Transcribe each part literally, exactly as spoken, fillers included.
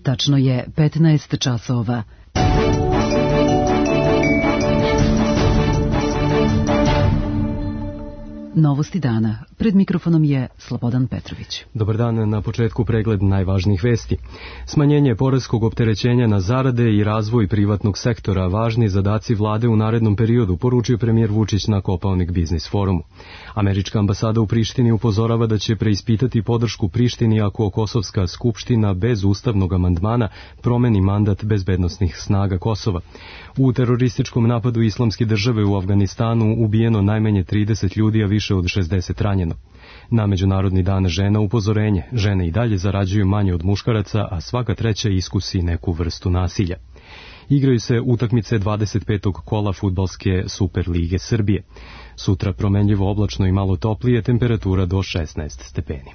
Tačno je petnaest časova. Novosti dana. Pred mikrofonom je Slobodan Petrović. Dobar dan, na početku pregled najvažnijih vesti. Smanjenje poreskog opterećenja na zarade i razvoj privatnog sektora, važni zadaci vlade u narednom periodu, poručio premijer Vučić na Kopaonik biznis forumu. Američka ambasada u Prištini upozorava da će preispitati podršku Prištini ako Kosovska skupština bez ustavnog amandmana promeni mandat bezbednosnih snaga Kosova. U terorističkom napadu Islamske države u Afganistanu ubijeno najmanje trideset ljudi, a više od šezdeset ranjeno. Na Međunarodni dan žena upozorenje, žene i dalje zarađuju manje od muškaraca, a svaka treća iskusi neku vrstu nasilja. Igraju se utakmice dvadeset petog kola fudbalske Super lige Srbije. Sutra promenljivo oblačno i malo toplije, temperatura do šesnaest stepeni.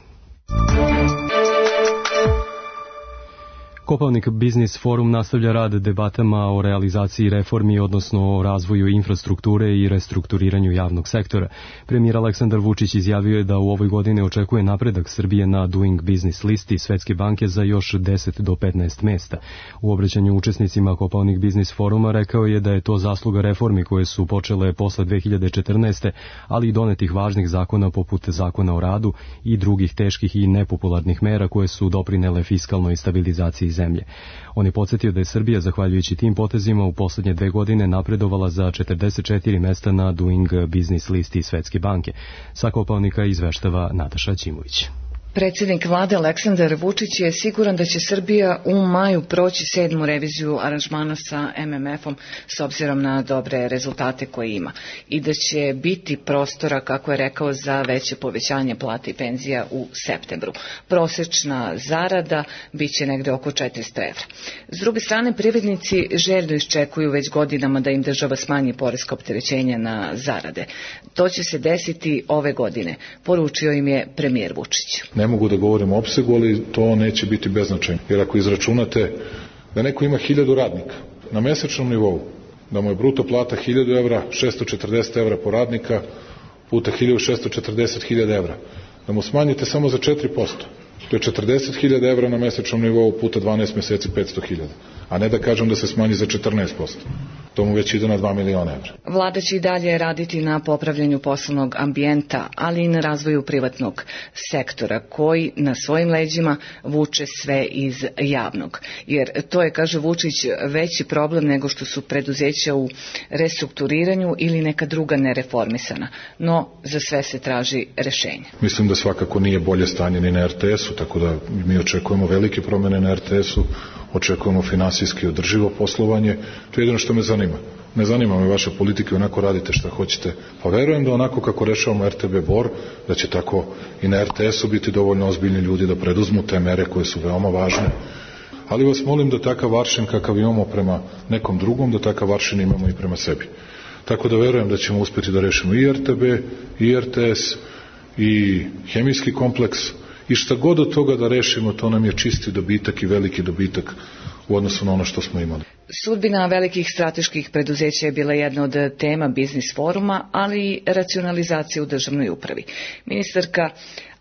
Kopaonik biznis forum nastavlja rad debatama o realizaciji reformi, odnosno o razvoju infrastrukture i restrukturiranju javnog sektora. Premijer Aleksandar Vučić izjavio je da u ovoj godini očekuje napredak Srbije na Doing Business listi Svetske banke za još deset do petnaest mesta. U obraćanju učesnicima Kopaonik biznis foruma rekao je da je to zasluga reformi koje su počele posle dve hiljade četrnaeste. ali i donetih važnih zakona poput zakona o radu i drugih teških i nepopularnih mera koje su doprinele fiskalnoj stabilizaciji zemlje. On je podsjetio da je Srbija, zahvaljujući tim potezima, u poslednje dve godine napredovala za četrdeset četiri mesta na Doing Business listi Svetske banke. Sa Kopaonika izveštava Nataša Ćimović. Predsjednik vlade Aleksandar Vučić je siguran da će Srbija u maju proći sedmu reviziju aranžmana sa em em efom s obzirom na dobre rezultate koje ima i da će biti prostora, kako je rekao, za veće povećanje plata i penzija u septembru. Prosečna zarada biće negde oko četiristo evra. S druge strane, privrednici željno iščekuju već godinama da im država smanji poreska opterećenja na zarade. To će se desiti ove godine, poručio im je premijer Vučić. Ne mogu da govorim o opsegu, ali to neće biti beznačajno. Jer ako izračunate da neko ima hiljadu radnika na mesečnom nivou, da mu je bruto plata hiljadu evra, šesto četrdeset evra po radnika, puta hiljadu šesto četrdeset hiljada evra, da mu smanjite samo za četiri posto. To je četrdeset hiljada evra na mesečnom nivou puta dvanaest meseci petsto hiljada. A ne da kažem da se smanji za četrnaest posto. To mu već ide na dva miliona evra. Vlada će i dalje raditi na popravljanju poslovnog ambijenta, ali i na razvoju privatnog sektora, koji na svojim leđima vuče sve iz javnog. Jer to je, kaže Vučić, veći problem nego što su preduzeća u restrukturiranju ili neka druga nereformisana. No, za sve se traži rešenje. Mislim da svakako nije bolje stanje ni na er te esu, tako da mi očekujemo velike promene na er te esu, očekujemo finansijski održivo poslovanje. To je jedino što me zanima. Ne zanima me vaša politika, onako radite šta hoćete. Pa verujem da onako kako rešavamo er te be Bor, da će tako i na er te esu biti dovoljno ozbiljni ljudi da preduzmu te mere koje su veoma važne. Ali vas molim da takav aršin kakav imamo prema nekom drugom, da takav aršin imamo i prema sebi. Tako da verujem da ćemo uspjeti da rešimo i er te be, i er te es, i hemijski kompleks, i šta god od toga da rešimo, to nam je čisti dobitak i veliki dobitak u odnosu na ono što smo imali. Sudbina velikih strateških preduzeća je bila jedna od tema biznis foruma, ali i racionalizacija u državnoj upravi. Ministarka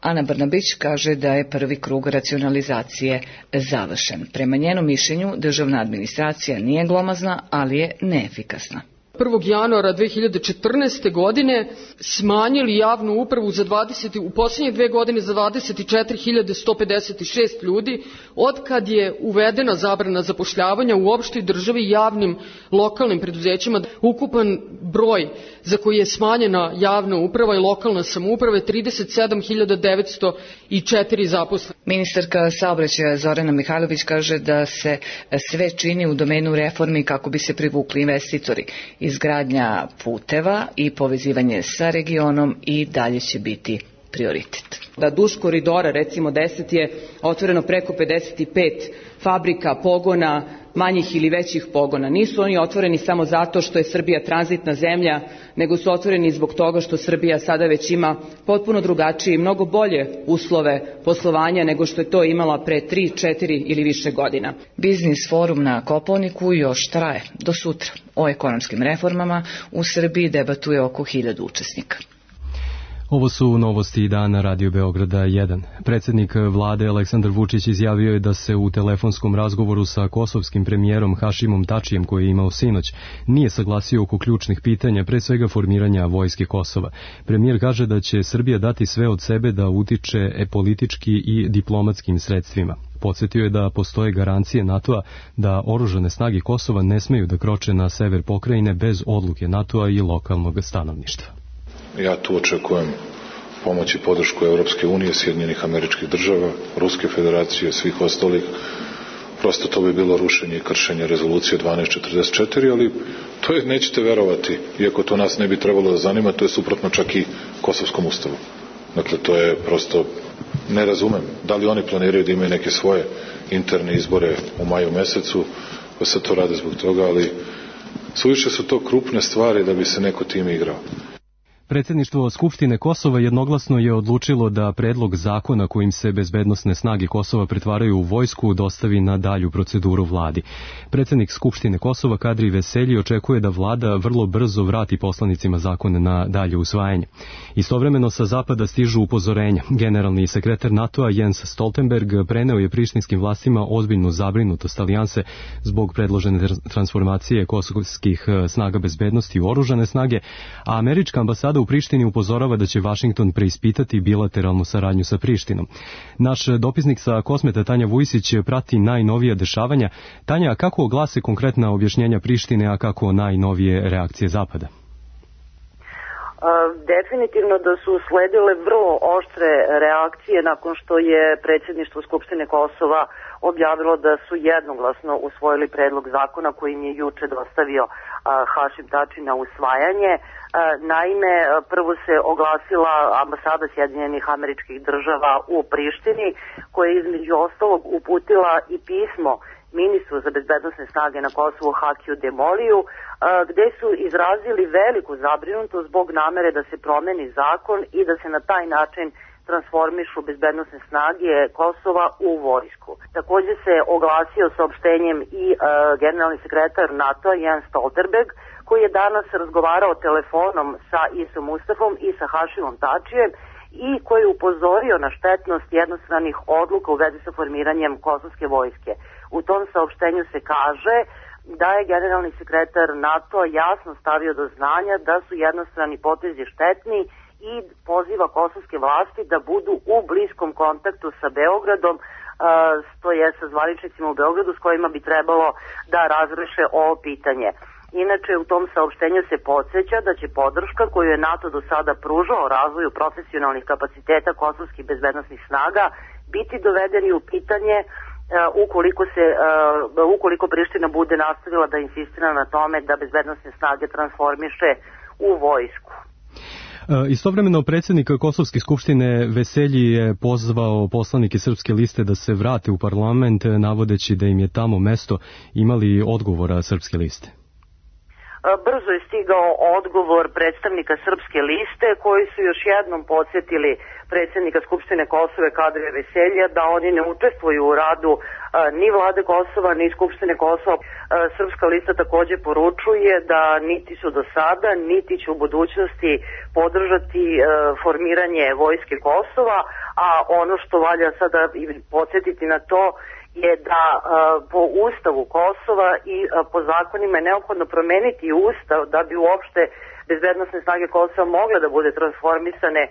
Ana Brnabić kaže da je prvi krug racionalizacije završen. Prema njenom mišljenju, državna administracija nije glomazna, ali je neefikasna. prvog januara dve hiljade četrnaeste. godine smanjili javnu upravu za dvadeset, u posljednje dve godine za dvadeset četiri hiljade sto pedeset šest ljudi, od kad je uvedena zabrana zapošljavanja u opštoj državi i javnim lokalnim preduzećima. Ukupan broj za koji je smanjena javna uprava i lokalna samouprava je trideset sedam hiljada devetsto četiri zaposlena. Ministarka saobraćaja Zorana Mihajlović kaže da se sve čini u domenu reformi kako bi se privukli investitori. Izgradnja puteva i povezivanje sa regionom i dalje će biti prioritet. Da duž koridora, recimo deset, je otvoreno preko pedeset pet fabrika, pogona, manjih ili većih pogona. Nisu oni otvoreni samo zato što je Srbija tranzitna zemlja, nego su otvoreni zbog toga što Srbija sada već ima potpuno drugačije i mnogo bolje uslove poslovanja nego što je to imala pre tri, četiri ili više godina. Biznis forum na Kopaoniku još traje do sutra. O ekonomskim reformama u Srbiji debatuje oko hiljadu učesnika. Ovo su novosti dana Radio Beograda jedan. Predsjednik vlade Aleksandar Vučić izjavio je da se u telefonskom razgovoru sa kosovskim premijerom Hašimom Tačijem, koji je imao sinoć, nije saglasio oko ključnih pitanja, pre svega formiranja vojske Kosova. Premijer kaže da će Srbija dati sve od sebe da utiče e politički i diplomatskim sredstvima. Podsjetio je da postoje garancije NATO-a da oružane snage Kosova ne smeju da kroče na sever pokrajine bez odluke NATO-a i lokalnog stanovništva. Ja tu očekujem pomoć i podršku Evropske unije, Sjedinjenih Američkih Država, Ruske federacije, svih ostalih. Prosto to bi bilo rušenje i kršenje rezolucije dvanaest četrdeset četiri, ali to je, nećete verovati, iako to nas ne bi trebalo da zanima, to je suprotno čak i Kosovskom ustavu. Dakle, to je prosto, ne razumem, da li oni planiraju da imaju neke svoje interne izbore u maju mesecu, pa se to rade zbog toga, ali suviše su to krupne stvari da bi se neko tim igrao. Predsjedništvo Skupštine Kosova jednoglasno je odlučilo da predlog zakona kojim se bezbednosne snage Kosova pretvaraju u vojsku dostavi na dalju proceduru vladi. Predsjednik Skupštine Kosova Kadri Veselji očekuje da vlada vrlo brzo vrati poslanicima zakon na dalje usvajanje. Istovremeno sa zapada stižu upozorenja. Generalni sekretar NATO-a Jens Stoltenberg preneo je prištinskim vlastima ozbiljnu zabrinutost alijanse zbog predložene transformacije kosovskih snaga bezbednosti u oružane snage, a američka ambasada u Prištini upozorava da će Vašington preispitati bilateralnu saradnju sa Prištinom. Naš dopisnik sa Kosmeta Tanja Vujsić prati najnovija dešavanja. Tanja, kako glase konkretna objašnjenja Prištine, a kako najnovije reakcije Zapada? Definitivno da su sledile vrlo oštre reakcije nakon što je predsjedništvo Skupštine Kosova objavilo da su jednoglasno usvojili predlog zakona kojim je juče dostavio Hašim Tači na usvajanje. Naime, prvo se oglasila ambasada Sjedinjenih Američkih Država u Prištini, koja je između ostalog uputila i pismo ministru za bezbednosne snage na Kosovu Hakiju Demoliju, gde su izrazili veliku zabrinutost zbog namere da se promeni zakon i da se na taj način transformišu bezbednosne snage Kosova u vojsku. Također se oglasio saopštenjem i uh, generalni sekretar NATO-a Jens Stoltenberg, koji je danas razgovarao telefonom sa Isom Mustafom i sa Hašimom Tačijem i koji je upozorio na štetnost jednostranih odluka u vezi sa formiranjem kosovske vojske. U tom saopštenju se kaže da je generalni sekretar NATO jasno stavio do znanja da su jednostrani potezi štetni i poziva kosovske vlasti da budu u bliskom kontaktu sa Beogradom, to je sa zvaničnicima u Beogradu s kojima bi trebalo da razreše ovo pitanje. Inače, u tom saopštenju se podsjeća da će podrška koju je NATO do sada pružao razvoju profesionalnih kapaciteta kosovskih bezbednosnih snaga biti dovedeni u pitanje ukoliko se ukoliko Priština bude nastavila da insistira na tome da bezbednosne snage transformiše u vojsku. Istovremeno predsjednik Kosovske skupštine Veselji je pozvao poslanike Srpske liste da se vrate u parlament, navodeći da im je tamo mesto. Imali odgovora Srpske liste? Brzo je stigao odgovor predstavnika Srpske liste, koji su još jednom podsjetili predsjednika Skupštine Kosova Kadrija Veselja da oni ne učestvuju u radu ni vlade Kosova, ni Skupštine Kosova. Srpska lista također poručuje da niti su do sada, niti će u budućnosti podržati formiranje vojske Kosova, a ono što valja sada podsjetiti na to je da uh, po ustavu Kosova i uh, po zakonima je neophodno promeniti ustav da bi uopšte bezbednosne snage Kosova mogle da bude transformisane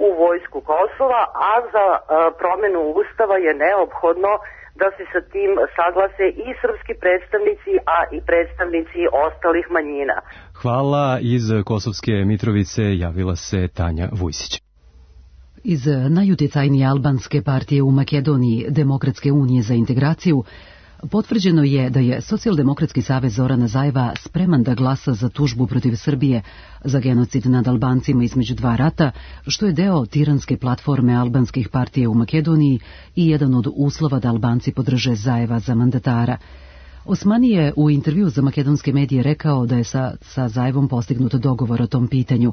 u vojsku Kosova, a za uh, promenu ustava je neophodno da se sa tim saglase i srpski predstavnici, a i predstavnici ostalih manjina. Hvala. Iz Kosovske Mitrovice javila se Tanja Vujsić. Iz najutjecajnije albanske partije u Makedoniji, Demokratske unije za integraciju, potvrđeno je da je Socijaldemokratski savez Zorana Zajeva spreman da glasa za tužbu protiv Srbije za genocid nad Albancima između dva rata, što je deo tiranske platforme albanskih partija u Makedoniji i jedan od uslova da Albanci podrže Zajeva za mandatara. Osmani je u intervju za makedonske medije rekao da je sa, sa Zajevom postignut dogovor o tom pitanju.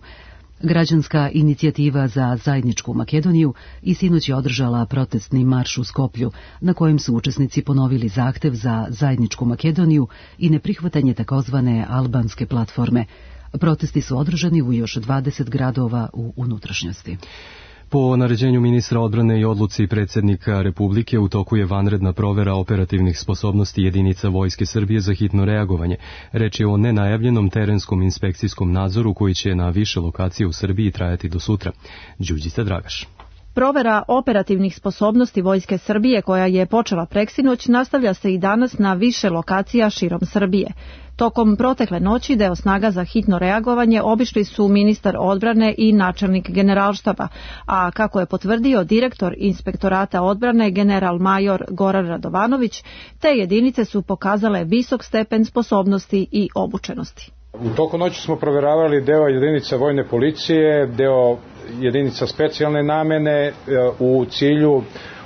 Građanska inicijativa za zajedničku Makedoniju i sinoć je održala protestni marš u Skoplju, na kojem su učesnici ponovili zahtev za zajedničku Makedoniju i neprihvatanje takozvane albanske platforme. Protesti su održani u još dvadeset gradova u unutrašnjosti. Po naređenju ministra odbrane i odluci predsjednika Republike u toku je vanredna provera operativnih sposobnosti jedinica Vojske Srbije za hitno reagovanje. Reč je o nenajavljenom terenskom inspekcijskom nadzoru koji će na više lokacije u Srbiji trajati do sutra. Đurđica Dragaš. Provera operativnih sposobnosti Vojske Srbije koja je počela preksinoć nastavlja se i danas na više lokacija širom Srbije. Tokom protekle noći deo snaga za hitno reagovanje obišli su ministar odbrane i načelnik generalštaba, a kako je potvrdio direktor Inspektorata odbrane general major Goran Radovanović, te jedinice su pokazale visok stepen sposobnosti i obučenosti. U toku noći smo proveravali deo jedinica vojne policije, deo jedinica specijalne namene u cilju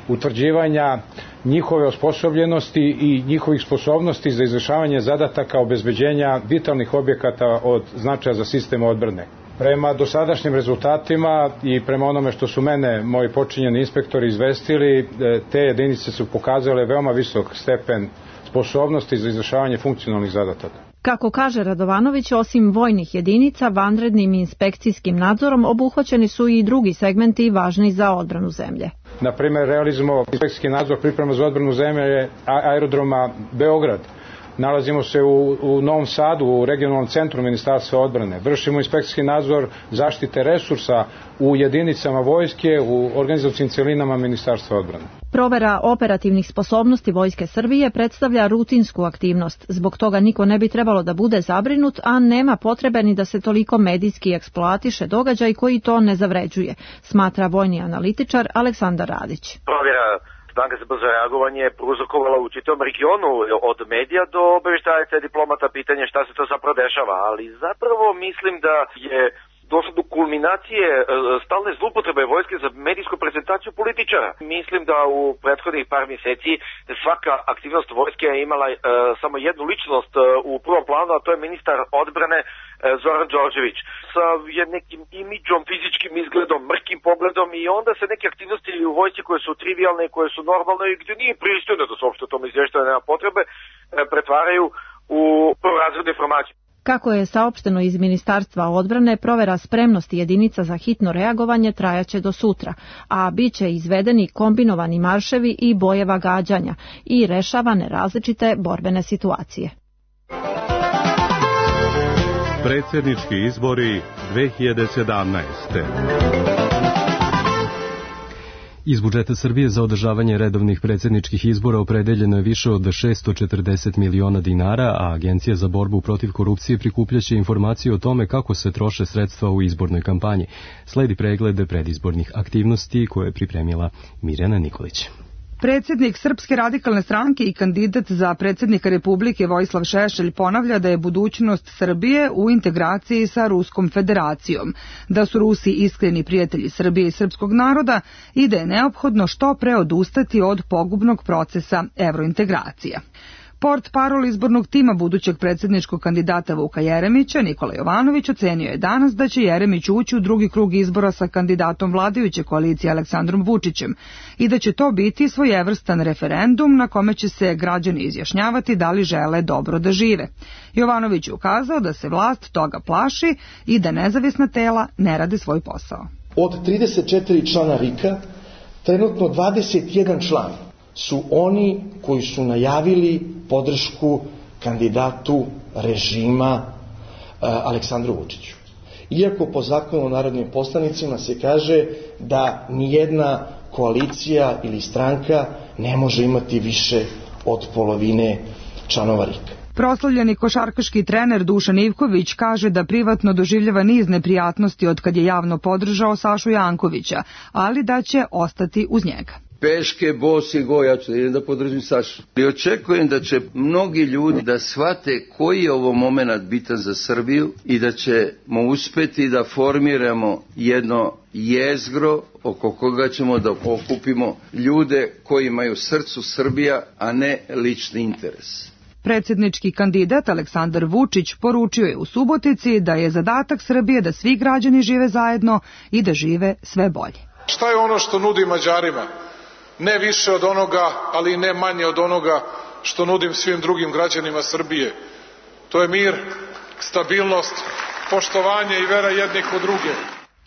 utvrđivanja njihove osposobljenosti i njihovih sposobnosti za izvršavanje zadataka obezbeđenja vitalnih objekata od značaja za sistem odbrane. Prema dosadašnjim rezultatima i prema onome što su mene moji počinjeni inspektori izvestili, te jedinice su pokazale veoma visok stepen sposobnosti za izvršavanje funkcionalnih zadataka. Kako kaže Radovanović, osim vojnih jedinica, vanrednim inspekcijskim nadzorom obuhvaćeni su i drugi segmenti važni za odbranu zemlje. Na primjer, realizujemo inspekcijski nadzor priprema za odbranu zemlje aerodroma Beograd. Nalazimo se u, u Novom Sadu, u regionalnom centru Ministarstva odbrane. Vršimo inspekcijski nadzor zaštite resursa u jedinicama vojske, u organizacijskim celinama Ministarstva odbrane. Provera operativnih sposobnosti Vojske Srbije predstavlja rutinsku aktivnost. Zbog toga niko ne bi trebalo da bude zabrinut, a nema potrebe ni da se toliko medijski eksploatiše događaj koji to ne zavređuje, smatra vojni analitičar Aleksandar Radić. Provjera snaga za brzo reagovanje je prouzrokovala u čitavom regionu od medija do obaveštajaca diplomata pitanje šta se to zapravo dešava, ali zapravo mislim da je došlo do kulminacije stalne zloupotrebe vojske za medijsku prezentaciju političara. Mislim da u prethodnih par mjeseci svaka aktivnost vojske je imala e, samo jednu ličnost e, u prvom planu, a to je ministar odbrane e, Zoran Đorđević sa nekim imidžom, fizičkim izgledom, mrkim pogledom i onda se neke aktivnosti u vojsci koje su trivialne, koje su normalne i gdje nije pristojno da se uopšte o tome izvještava, nema potrebe, e, pretvaraju u prvorazrednu informaciju. Kako je saopšteno iz Ministarstva odbrane, provera spremnosti jedinica za hitno reagovanje trajaće do sutra, a bit će izvedeni kombinovani marševi i bojeva gađanja i rešavane različite borbene situacije. Predsjednički izbori dve hiljade sedamnaeste. Iz budžeta Srbije za održavanje redovnih predsjedničkih izbora opredeljeno je više od šesto četrdeset miliona dinara, a Agencija za borbu protiv korupcije prikupljaće informacije o tome kako se troše sredstva u izbornoj kampanji. Sledi pregled predizbornih aktivnosti koje je pripremila Mirjana Nikolić. Predsjednik Srpske radikalne stranke i kandidat za predsjednika Republike Vojislav Šešelj ponavlja da je budućnost Srbije u integraciji sa Ruskom federacijom, da su Rusi iskreni prijatelji Srbije i srpskog naroda i da je neophodno što pre odustati od pogubnog procesa evrointegracija. Port parol izbornog tima budućeg predsjedničkog kandidata Vuka Jeremića, Nikola Jovanović, ocenio je danas da će Jeremić ući u drugi krug izbora sa kandidatom vladajuće koalicije Aleksandrom Vučićem i da će to biti svojevrstan referendum na kome će se građani izjašnjavati da li žele dobro da žive. Jovanović je ukazao da se vlast toga plaši i da nezavisna tela ne rade svoj posao. Od trideset četiri člana R I K-a, trenutno dvadeset jedan član su oni koji su najavili podršku kandidatu režima uh, Aleksandru Vučiću. Iako po zakonu o narodnim poslanicima se kaže da nijedna koalicija ili stranka ne može imati više od polovine članova R I K-a. Proslavljeni košarkaški trener Dušan Ivković kaže da privatno doživljava niz neprijatnosti od kad je javno podržao Sašu Jankovića, ali da će ostati uz njega. Peške, bosi, go, ja ću da idem da podržim Sašu. I očekujem da će mnogi ljudi da shvate koji je ovo moment bitan za Srbiju i da ćemo uspeti da formiramo jedno jezgro oko koga ćemo da okupimo ljude koji imaju srcu Srbija, a ne lični interes. Predsjednički kandidat Aleksandar Vučić poručio je u Subotici da je zadatak Srbije da svi građani žive zajedno i da žive sve bolje. Šta je ono što nudi Mađarima? Ne više od onoga, ali i ne manje od onoga što nudim svim drugim građanima Srbije. To je mir, stabilnost poštovanje i vera jednih u druge.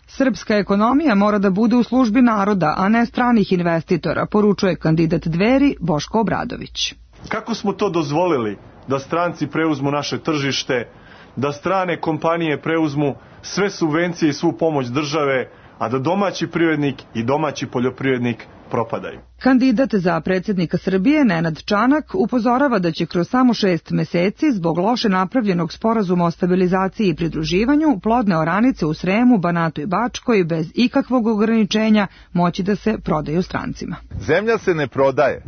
Srpska ekonomija mora da bude u službi naroda, a ne stranih investitora, poručuje kandidat Dveri Boško Obradović. Kako smo to dozvolili da stranci preuzmu naše tržište, da strane kompanije preuzmu sve subvencije i svu pomoć države, a da domaći privrednik i domaći poljoprivrednik propadaju? Kandidat za predsjednika Srbije Nenad Čanak upozorava da će kroz samo šest meseci zbog loše napravljenog sporazuma o stabilizaciji i pridruživanju plodne oranice u Sremu, Banatu i Bačkoj bez ikakvog ograničenja moći da se prodaju strancima. Zemlja se ne prodaje.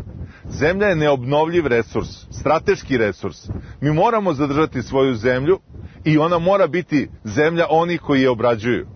Zemlja je neobnovljiv resurs, strateški resurs. Mi moramo zadržati svoju zemlju i ona mora biti zemlja onih koji je obrađuju.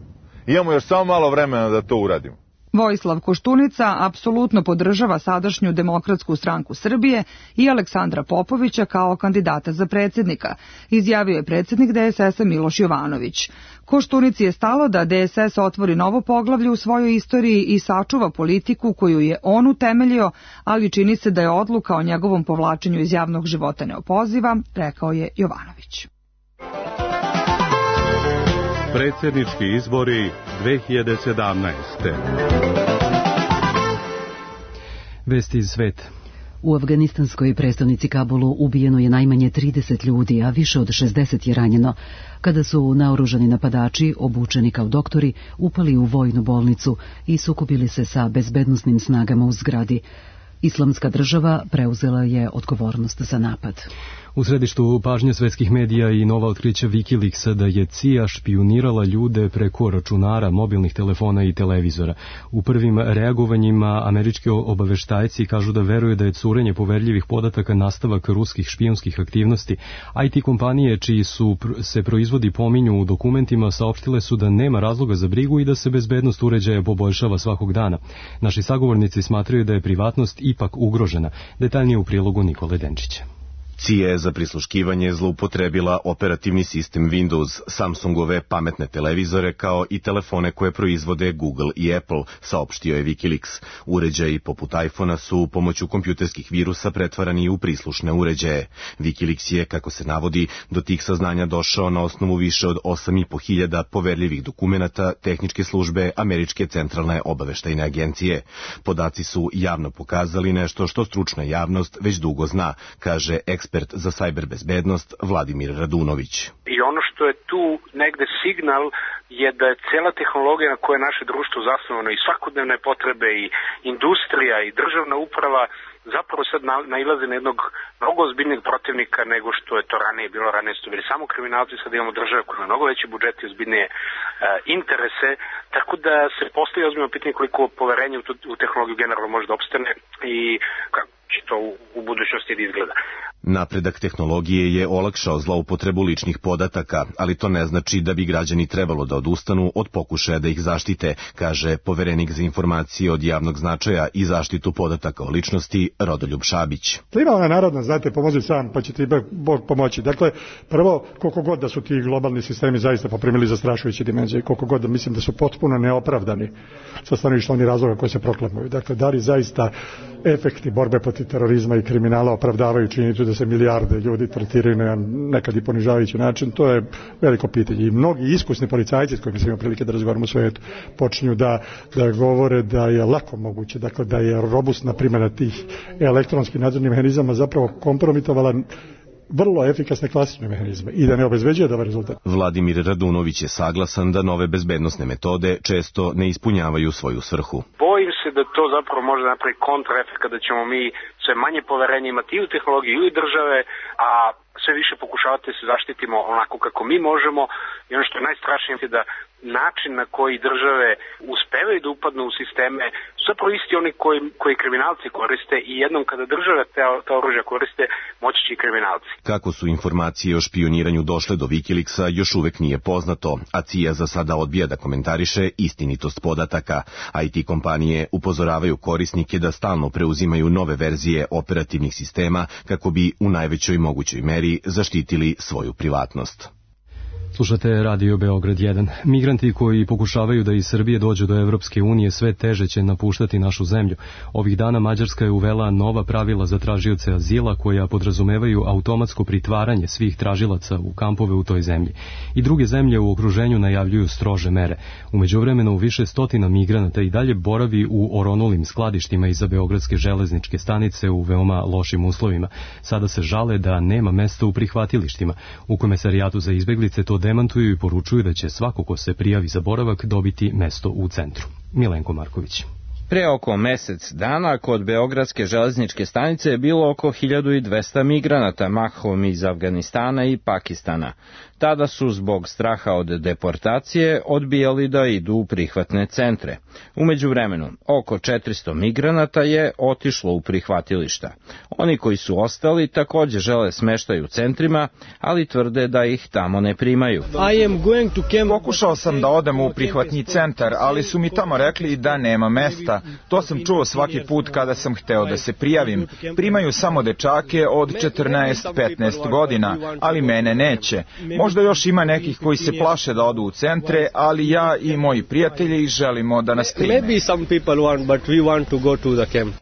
Imamo još samo malo vremena da to uradimo. Vojislav Koštunica apsolutno podržava sadašnju Demokratsku stranku Srbije i Aleksandra Popovića kao kandidata za predsjednika, izjavio je predsjednik D S S-a Miloš Jovanović. Koštunici je stalo da D S S otvori novo poglavlje u svojoj istoriji i sačuva politiku koju je on utemeljio, ali čini se da je odluka o njegovom povlačenju iz javnog života neopoziva, rekao je Jovanović. Predsjednički izbori dve hiljade sedamnaeste. Vesti iz sveta. U afganistanskoj prestonici Kabulu ubijeno je najmanje trideset ljudi, a više od šezdeset je ranjeno, kada su naoružani napadači, obučeni kao doktori, upali u vojnu bolnicu i sukobili se sa bezbednosnim snagama u zgradi. Islamska država preuzela je odgovornost za napad. U središtu pažnje svetskih medija i nova otkrića Wikileaksa da je C I A špijunirala ljude preko računara, mobilnih telefona i televizora. U prvim reagovanjima američki obaveštajci kažu da veruju da je curenje poverljivih podataka nastavak ruskih špijunskih aktivnosti. I T kompanije čiji su se proizvodi pominju u dokumentima saopštile su da nema razloga za brigu i da se bezbednost uređaja poboljšava svakog dana. Naši sagovornici smatraju da je privatnost ipak ugrožena. Detaljnije u prilogu Nikole Denčića. C I A je za prisluškivanje zloupotrebila operativni sistem Windows, Samsungove pametne televizore kao i telefone koje proizvode Google i Apple, saopštio je Wikileaks. Uređaji poput iPhona su pomoću kompjuterskih virusa pretvarani u prislušne uređaje. Wikileaks je, kako se navodi, do tih saznanja došao na osnovu više od osam i po hiljada poverljivih dokumenata tehničke službe Američke centralne obaveštajne agencije. Podaci su javno pokazali nešto što stručna javnost već dugo zna, kaže ekspert za sajber bezbednost Vladimir Radunović. I ono što je tu negde signal je da je cela tehnologija na koje je naše društvo zasnovano i svakodnevne potrebe i industrija i državna uprava zapravo sad nailaze na jednog mnogo ozbiljnijeg protivnika nego što je to ranije bilo. Ranije su bili samo kriminalci, sad imamo države koja ima mnogo veće budžete i ozbiljnije e, interese, tako da se postoji ozbiljno pitanje koliko poverenje u, tu, u tehnologiju generalno može da opstane i kako će to u, u budućnosti da izgleda. Napredak tehnologije je olakšao zloupotrebu ličnih podataka, ali to ne znači da bi građani trebalo da odustanu od pokušaja da ih zaštite, kaže poverenik za informacije od javnog značaja i zaštitu podataka o ličnosti Rodoljub Šabić. Ima ona narodna, znate, pomozi sam pa će ti Bog pomoći. Dakle, prvo, koliko god da su ti globalni sistemi zaista poprimili zastrašujuće dimenzije, koliko god da mislim da su potpuno neopravdani sa stanovišta onih razloga koje se proklamuju. Dakle, da li zaista efekti borbe protiv terorizma i kriminala opravdavaju činjenicu da se milijarde ljudi tretiraju na nekad i ponižavajući način, to je veliko pitanje. I mnogi iskusni policajci s kojima sam imao prilike da razgovaram u svijetu počinju da, da govore da je lako moguće, dakle da je robustna primjena tih elektronskih nadzornih mehanizama zapravo kompromitovala vrlo efikasne klasične mehanizme i da ne obezbeđuje dobar rezultat. Vladimir Radunović je saglasan da nove bezbednosne metode često ne ispunjavaju svoju svrhu. Bojim se da to zapravo može napraviti kontraefekt kada ćemo mi sve manje poverenja imati i u tehnologiji i u države, a sve više pokušavati da se zaštitimo onako kako mi možemo i ono što je najstrašnije je da način na koji države uspevaju da upadnu u sisteme su zapravo isti oni koji, koji kriminalci koriste i jednom kada države te, te oružja koriste, moći će i kriminalci. Kako su informacije o špioniranju došle do Wikileaksa još uvek nije poznato, a C I A za sada odbija da komentariše istinitost podataka. I T kompanije upozoravaju korisnike da stalno preuzimaju nove verzije operativnih sistema kako bi u najvećoj mogućoj meri zaštitili svoju privatnost. Slušate Radio Beograd jedan. Migranti koji pokušavaju da iz Srbije dođu do Evropske unije sve teže će napuštati našu zemlju. Ovih dana Mađarska je uvela nova pravila za tražioce azila koja podrazumevaju automatsko pritvaranje svih tražilaca u kampove u toj zemlji. I druge zemlje u okruženju najavljuju strože mere. U međuvremenu više stotina migranata i dalje boravi u oronulim skladištima iza Beogradske železničke stanice u veoma lošim uslovima. Sada se žale da nema mesta u prihvatilištima. U Komesarijatu za izbeglice to demantuju i poručuju da će svako ko se prijavi za boravak dobiti mesto u centru. Milenko Marković. Pre oko mesec dana kod Beogradske železničke stanice je bilo oko hiljadu dvesta migranata, mahom iz Afganistana i Pakistana. Tada su zbog straha od deportacije odbijali da idu u prihvatne centre. U međuvremenu, oko četiristo migranata je otišlo u prihvatilišta. Oni koji su ostali također žele smeštaj u centrima, ali tvrde da ih tamo ne primaju. Pokušao sam da odem u prihvatni centar, ali su mi tamo rekli da nema mesta. To sam čuo svaki put kada sam hteo da se prijavim. Primaju samo dečake od četrnaest petnaest godina, ali mene neće. Možda još ima nekih koji se plaše da odu u centre, ali ja i moji prijatelji želimo da nas prime.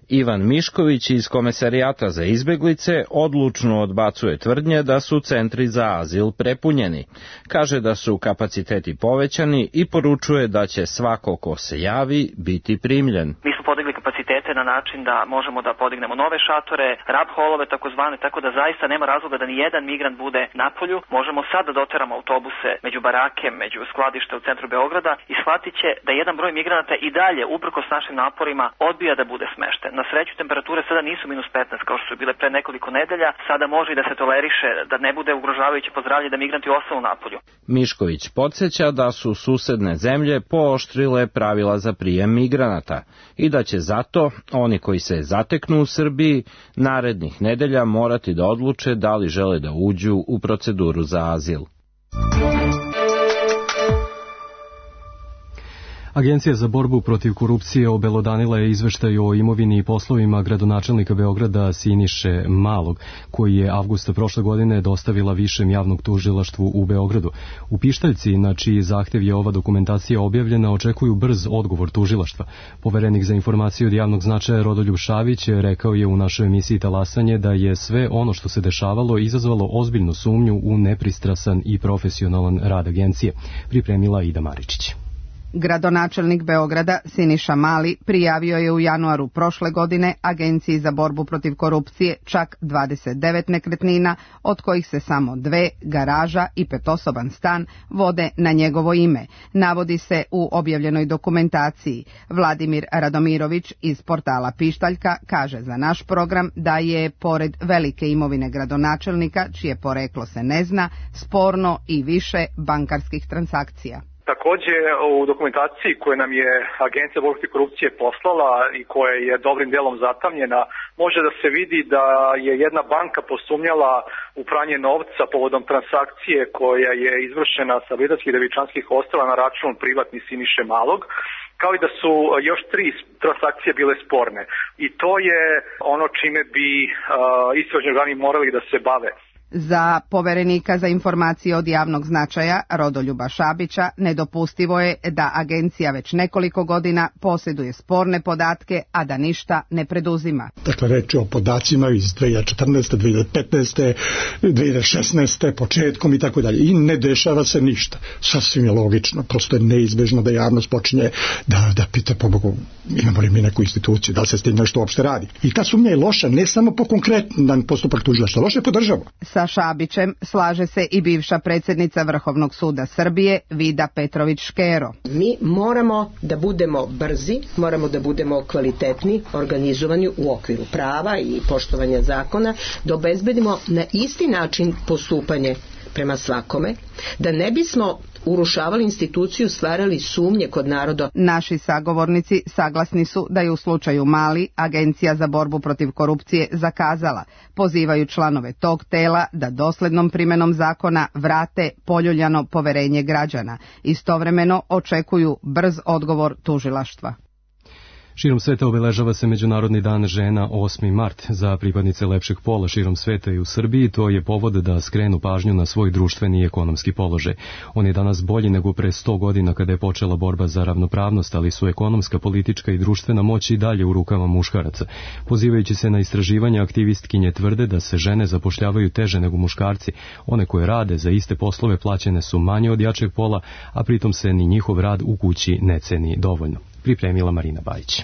Ivan Mišković iz Komesarijata za izbeglice odlučno odbacuje tvrdnje da su centri za azil prepunjeni. Kaže da su kapaciteti povećani i poručuje da će svako ko se javi biti primljen. Mi smo podigli kapacitete na način da možemo da podignemo nove šatore, rab holove takozvane, tako da zaista nema razloga da ni jedan migrant bude napolju. Možemo sad da doteramo autobuse među barake, među skladište u centru Beograda i shvatit će da jedan broj migranata i dalje, uprkos našim naporima, odbija da bude smešten. Na sreću temperature sada nisu minus petnaest kao što su bile pre nekoliko nedelja, sada može i da se toleriše, da ne bude ugrožavajuće po zdravlje da migranti ostanu napolju. Mišković podsjeća da su susedne zemlje pooštrile pravila za prijem migranata i da će zato oni koji se zateknu u Srbiji narednih nedelja morati da odluče da li žele da uđu u proceduru za azil. Agencija za borbu protiv korupcije obelodanila je izveštaj o imovini i poslovima gradonačelnika Beograda Siniše Malog, koji je avgusta prošle godine dostavila Višem javnog tužilaštvu u Beogradu. U pištaljci, na čiji zahtev je ova dokumentacija objavljena, očekuju brz odgovor tužilaštva. Poverenik za informacije od javnog značaja Rodoljub Šabić rekao je u našoj emisiji Talasanje da je sve ono što se dešavalo izazvalo ozbiljnu sumnju u nepristrasan i profesionalan rad agencije. Pripremila Ida Maričić. Gradonačelnik Beograda Siniša Mali prijavio je u januaru prošle godine Agenciji za borbu protiv korupcije čak dvadeset devet nekretnina, od kojih se samo dve, garaža i petosoban stan, vode na njegovo ime, navodi se u objavljenoj dokumentaciji. Vladimir Radomirović iz portala Pištaljka kaže za naš program da je, pored velike imovine gradonačelnika, čije poreklo se ne zna, sporno i više bankarskih transakcija. Takođe, u dokumentaciji koju nam je Agencija za borbu protiv korupcije poslala i koja je dobrim delom zatamnjena, može da se vidi da je jedna banka posumnjala u pranje novca povodom transakcije koja je izvršena sa Britanskih i Devičanskih ostrva na račun privatni Siniše Malog, kao i da su još tri transakcije bile sporne. I to je ono čime bi uh, istražni organi morali da se bave. Za poverenika za informacije od javnog značaja Rodoljuba Šabića nedopustivo je da agencija već nekoliko godina posjeduje sporne podatke, a da ništa ne preduzima. Dakle, reč je o podacima iz dve hiljade četrnaeste, dve hiljade petnaeste, dve hiljade šesnaeste, početkom i tako dalje. I ne dešava se ništa. Sasvim je logično, prosto je neizbežno da javnost počinje da, da pita, pobogu, imamo li mi neku instituciju, da li se s tim nešto uopšte radi. I ta sumnja je loša ne samo po konkretan postupak tužilaštva, loša je po državu. Sa Šabićem slaže se i bivša predsjednica Vrhovnog suda Srbije Vida Petrović-Škero. Mi moramo da budemo brzi, moramo da budemo kvalitetni, organizovani u okviru prava i poštovanja zakona, da obezbedimo na isti način postupanje prema svakome, da ne bismo urušavali instituciju, stvarali sumnje kod naroda. Naši sagovornici saglasni su da je u slučaju Mali Agencija za borbu protiv korupcije zakazala, pozivaju članove tog tela da doslednom primenom zakona vrate poljuljano poverenje građana. Istovremeno očekuju brz odgovor tužilaštva. Širom sveta obeležava se Međunarodni dan žena osmi mart. Za pripadnice lepšeg pola širom sveta i u Srbiji to je povod da skrenu pažnju na svoj društveni i ekonomski položaj. On je danas bolji nego pre sto godina kada je počela borba za ravnopravnost, ali su ekonomska, politička i društvena moć i dalje u rukama muškaraca. Pozivajući se na istraživanja, aktivistkinje tvrde da se žene zapošljavaju teže nego muškarci. One koje rade za iste poslove plaćene su manje od jačeg pola, a pritom se ni njihov rad u kući ne ceni dovoljno. Pripremila Marina Bajić.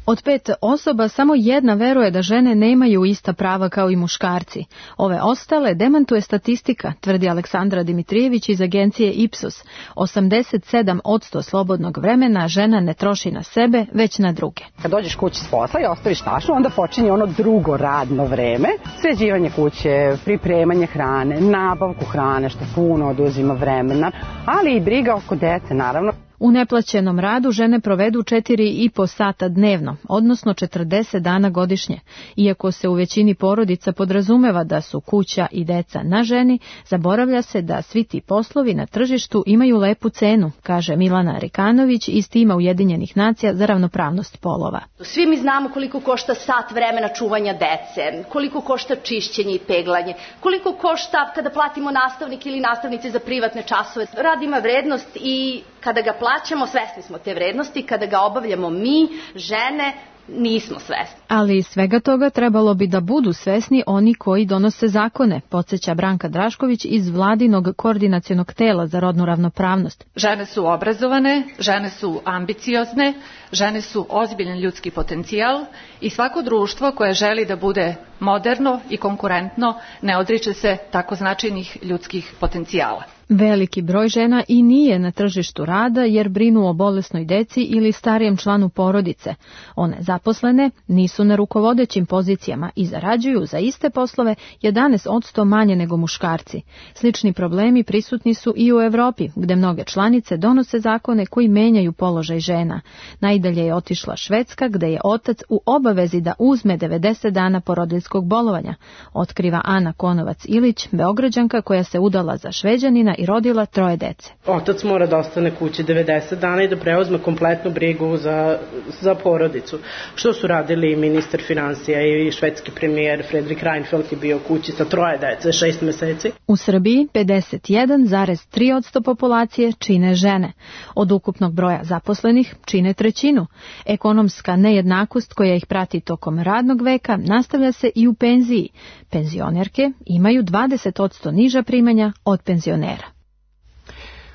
Od pet osoba samo jedna veruje da žene nemaju ista prava kao i muškarci. Ove ostale demantuje statistika, tvrdi Aleksandra Dimitrijević iz agencije Ipsos. osamdeset sedam posto slobodnog vremena žena ne troši na sebe, već na druge. Kad dođeš kući s posla i ostaviš tašu, onda počinje ono drugo radno vreme. Sređivanje kuće, pripremanje hrane, nabavku hrane, što puno oduzima vremena, ali i briga oko dece, naravno. U neplaćenom radu žene provedu četiri i po sata dnevno, odnosno četrdeset dana godišnje. Iako se u većini porodica podrazumeva da su kuća i deca na ženi, zaboravlja se da svi ti poslovi na tržištu imaju lepu cenu, kaže Milana Rikanović iz tima Ujedinjenih nacija za ravnopravnost polova. Svi mi znamo koliko košta sat vremena čuvanja dece, koliko košta čišćenje i peglanje, koliko košta kada platimo nastavnike ili nastavnice za privatne časove. Rad ima vrednost i kada ga plaćamo, svesni smo te vrednosti, kada ga obavljamo mi, žene, nismo svesni. Ali iz svega toga trebalo bi da budu svesni oni koji donose zakone, podsjeća Branka Drašković iz vladinog koordinacionog tela za rodnu ravnopravnost. Žene su obrazovane, žene su ambiciozne, žene su ozbiljan ljudski potencijal i svako društvo koje želi da bude moderno i konkurentno ne odriče se tako značajnih ljudskih potencijala. Veliki broj žena i nije na tržištu rada jer brinu o bolesnoj deci ili starijem članu porodice. One zaposlene nisu na rukovodećim pozicijama i zarađuju za iste poslove jedanaest posto manje nego muškarci. Slični problemi prisutni su i u Evropi, gde mnoge članice donose zakone koji menjaju položaj žena. Najdalje je otišla Švedska, gde je otac u obavezi da uzme devedeset dana porodiljskog bolovanja, otkriva Ana Konovac-Ilić, Beograđanka koja se udala za Šveđanina i rodila troje dece. Otac mora da ostane kući devedeset dana i da preuzme kompletnu brigu za, za porodicu. Što su radili ministar finansija i švedski premijer Fredrik Reinfeldt je bio kući sa troje dece, šest meseci. U Srbiji pedeset jedan zarez tri posto populacije čine žene. Od ukupnog broja zaposlenih čine trećinu. Ekonomska nejednakost koja ih prati tokom radnog veka nastavlja se i u penziji. Penzionerke imaju dvadeset posto niža primanja od penzionera.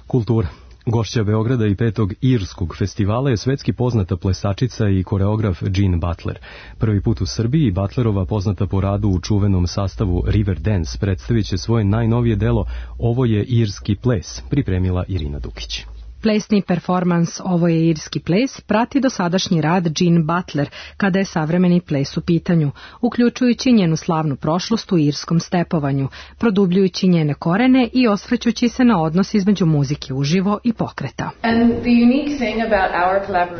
Kultura. Gošća Beograda i petog Irskog festivala je svetski poznata plesačica i koreograf Jean Butler. Prvi put u Srbiji Butlerova, poznata po radu u čuvenom sastavu River Dance, predstavit će svoje najnovije delo Ovo je irski ples, pripremila Irina Dukić. Plesni performans Ovo je irski ples prati dosadašnji rad Jean Butler kada je savremeni ples u pitanju, uključujući njenu slavnu prošlost u irskom stepovanju, produbljujući njene korene i osvrćući se na odnos između muzike uživo i pokreta.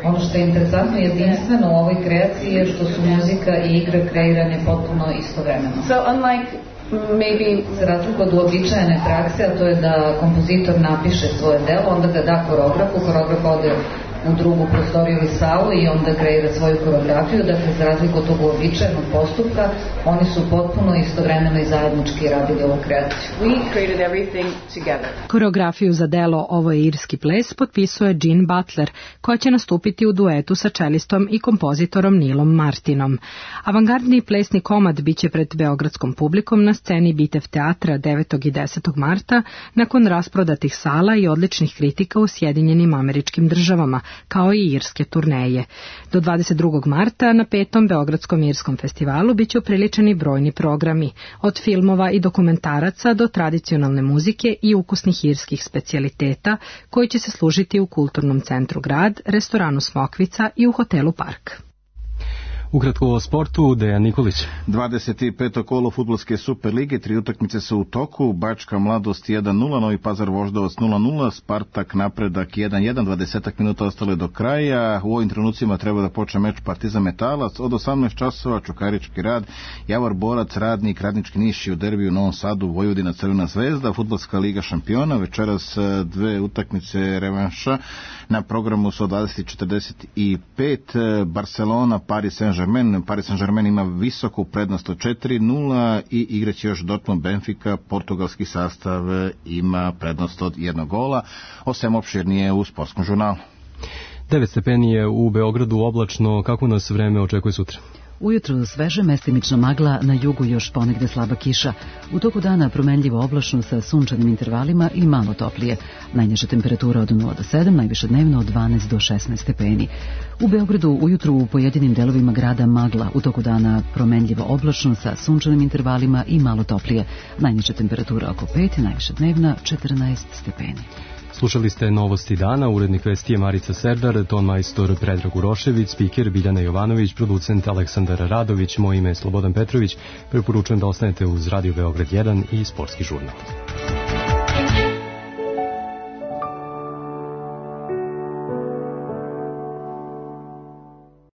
Ono što je interesantno i jedinstveno u ovoj kreaciji je što su muzika i igra kreirane potpuno istovremeno. So unlike Maybe za razliku od uobičajene prakse, a to je da kompozitor napiše svoje delo, onda ga da koreografu, koreograf ode u drugu prostoriju ili salu i onda kreira svoju koreografiju. Dakle, za razliku od tog uobičajenog postupka, oni su potpuno istovremeno i zajednički radili ovu kreaciju. We created everything together. Koreografiju za delo Ovo je irski ples potpisuje Jean Butler, koja će nastupiti u duetu sa čelistom i kompozitorom Nilom Martinom. Avangardni plesni komad biće pred beogradskom publikom na sceni Bitev teatra devetog i desetog marta nakon rasprodatih sala i odličnih kritika u Sjedinjenim Američkim Državama, kao i irske turneje. Do dvadeset drugog marta na petom Beogradskom irskom festivalu biće upriličeni brojni programi, od filmova i dokumentaraca do tradicionalne muzike i ukusnih irskih specijaliteta, koji će se služiti u Kulturnom centru Grad, restoranu Smokvica i u hotelu Park. Ukratko o sportu, Dejan Nikolić. dvadeset peto kolo fudbalske Super lige, tri utakmice su u toku, Bačka Mladost jedan nula, Novi Pazar Voždovac nula nula, Spartak Napredak jedan jedan, dvadeset minuta ostalo je do kraja. U ovim trenucima treba da počne meč Partizan Metalac, od osamnaest časova Čukarički Rad, Javor Borac, Radnik, Radnički Niš i u derbiju u Novom Sadu Vojvodina Crvena zvezda, Fudbalska liga šampiona, večeras dve utakmice revanša, na programu su od dvadeset četrdeset pet, Barcelona, Paris Saint-Germain. Paris Saint-Germain ima visoku prednost od četiri nula i igraće još Dortmund Benfica, portugalski sastav ima prednost od jednog gola. O svem opširnije u Sportskom žurnalu. devet stepeni je u Beogradu, oblačno, kako nas vreme očekuje sutra? Ujutru sveže, mestimična magla, na jugu još ponegde slaba kiša. U toku dana promenljivo oblačno sa sunčanim intervalima i malo toplije. Najniža temperatura od nula do sedam, najviše dnevno od dvanaest do šesnaest stepeni. U Beogradu ujutru u pojedinim delovima grada magla, u toku dana promenljivo oblačno sa sunčanim intervalima i malo toplije. Najniža temperatura oko pet, najviše dnevna četrnaest stepeni. Slušali ste Novosti dana, urednik vesti je Marica Serdar, ton majstor Predrag Urošević, spiker Biljana Jovanović, producent Aleksandar Radović, moje ime je Slobodan Petrović. Preporučujem da ostanete uz Radio Beograd jedan i Sportski žurnal.